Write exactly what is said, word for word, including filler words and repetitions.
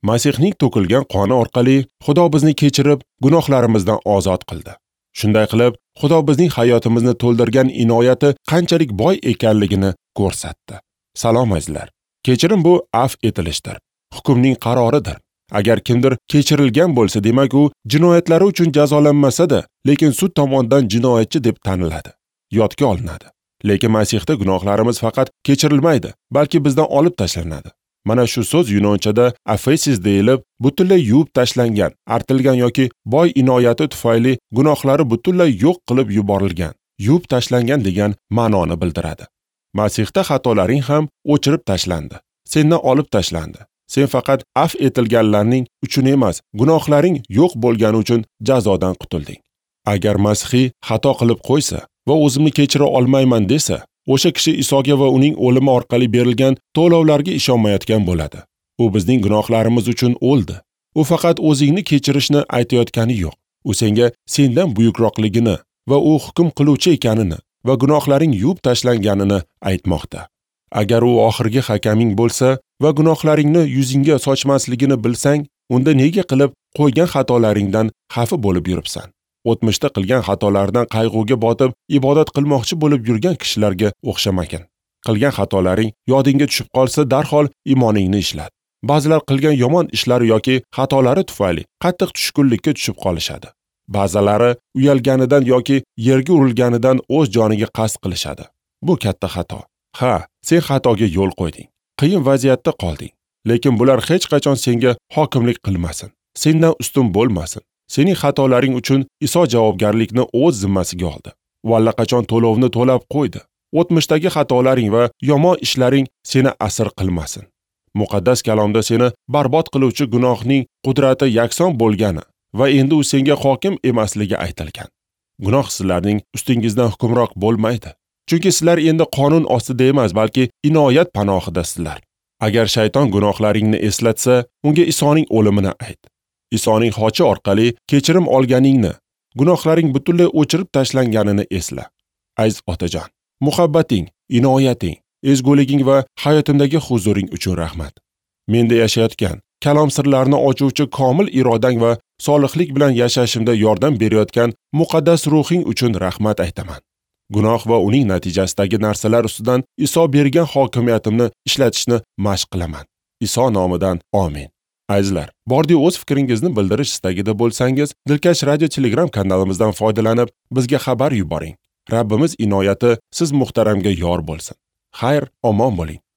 Masihning to'kilgan qoni orqali Xudo bizni kechirib, gunohlarimizdan ozod qildi. Shunday qilib, Xudo bizning hayotimizni to'ldirgan inoyati qanchalik boy ekanligini ko'rsatdi. Salom azizlar. Kechirim bu afv etilishdir. Hukmning qaroridir. Agar kimdir kechirilgan bo'lsa, demak u jinoyatlari uchun jazolanmasa-da, lekin sud tomonidan jinoyatchi deb taniladi, yodga olinadi. Lekin Masihda gunohlarimiz faqat kechirilmaydi, balki bizdan olib tashlanadi. Mana shu so'z yunonchada afesis deyilib, butunlay yuvib tashlangan, artilgan yoki boy inoyati tufayli gunohlari butunlay yo'q qilib yuborilgan, yuvib tashlangan degan ma'noni bildiradi. Masihda xatolaring ham o'chirib tashlandi, sendan olib tashlandi. Sen faqat afv etilganlarning uchun emas, gunohlaring yo'q bo'lgani uchun jazodan qutulding. Agar masihiy xato qilib qo'ysa va o'zimni kechira olmayman desa, o'sha kishi Isoga va uning o'limi orqali berilgan to'lovlarga ishonmayotgan bo'ladi. U bizning gunohlarimiz uchun o'ldi. U faqat o'zingni kechirishni aytayotgani yo'q. U senga sendan buyukroqligini va u hukm qiluvchi ekanini va gunohlaring yuvib tashlanganini aytmoqda. Agar u oxirgi hakaming bo'lsa va gunohlaringni yuzingga sochmasligini bilsang, unda nega qilib qo'ygan xatolaringdan xafa bo'lib yuribsan? O'tmishda qilgan xatolaridan qayg'uga botib, ibodat qilmoqchi bo'lib yurgan kishilarga o'xshamagin. Qilgan xatolaring yodingga tushib qolsa, darhol iymoningni ishlat. Ba'zilar qilgan yomon ishlari yoki xatolari tufayli qattiq tushkunlikka tushib qolishadi. Ba'zilari uyalganidan yoki yerga urilganidan o'z joniga qasd qilishadi. Bu katta xato. Ha, sen xatoga yo'l qo'yding. Qiyin vaziyatda qolding. Lekin bular hech qachon senga hokimlik qilmasin. Sendan ustun bo'lmasin. Sening xatolaring uchun Iso javobgarlikni o'z zimmasiga oldi. U allaqachon to'lovni to'lab qo'ydi. O'tmishdagi xatolaring va yomon ishlaring seni asir qilmasin. Muqaddas kalomda seni barbod qiluvchi gunohning qudrati yakson bo'lgani va endi u senga hokim emasligi aytilgan. Gunoh sizlarning ustingizdan hukmroq bo'lmaydi. Chunki sizlar endi qonun ostida emas, balki inoyat panohidasizlar. Agar shayton gunohlaringni eslatsa, unga Isoning o'limini ayt. Isoning xochi orqali kechirim olganingni, gunohlaring butunlay o'chirib tashlanganini esla. Aziz otajon, muhabbating, inoyating, ezguliging va hayotimdagi huzuring uchun rahmat. Menda yashayotgan, kalom sirlarini ochuvchi komil irodang va solihlik bilan yashashimda yordam berayotgan muqaddas ruhing uchun rahmat aytaman. Gunoh va uning natijasidagi narsalar ustidan Iso bergan hokimiyatimni ishlatishni mashq qilaman. Iso nomidan amin. Azizlar, bordi o'z fikringizni bildirish istagida bo'lsangiz, Dilkash Radio Telegram kanalimizdan foydalanib, bizga xabar yuboring. Rabbimiz inoyati siz muhtaramga yor bo'lsin. Xayr, omon bo'ling.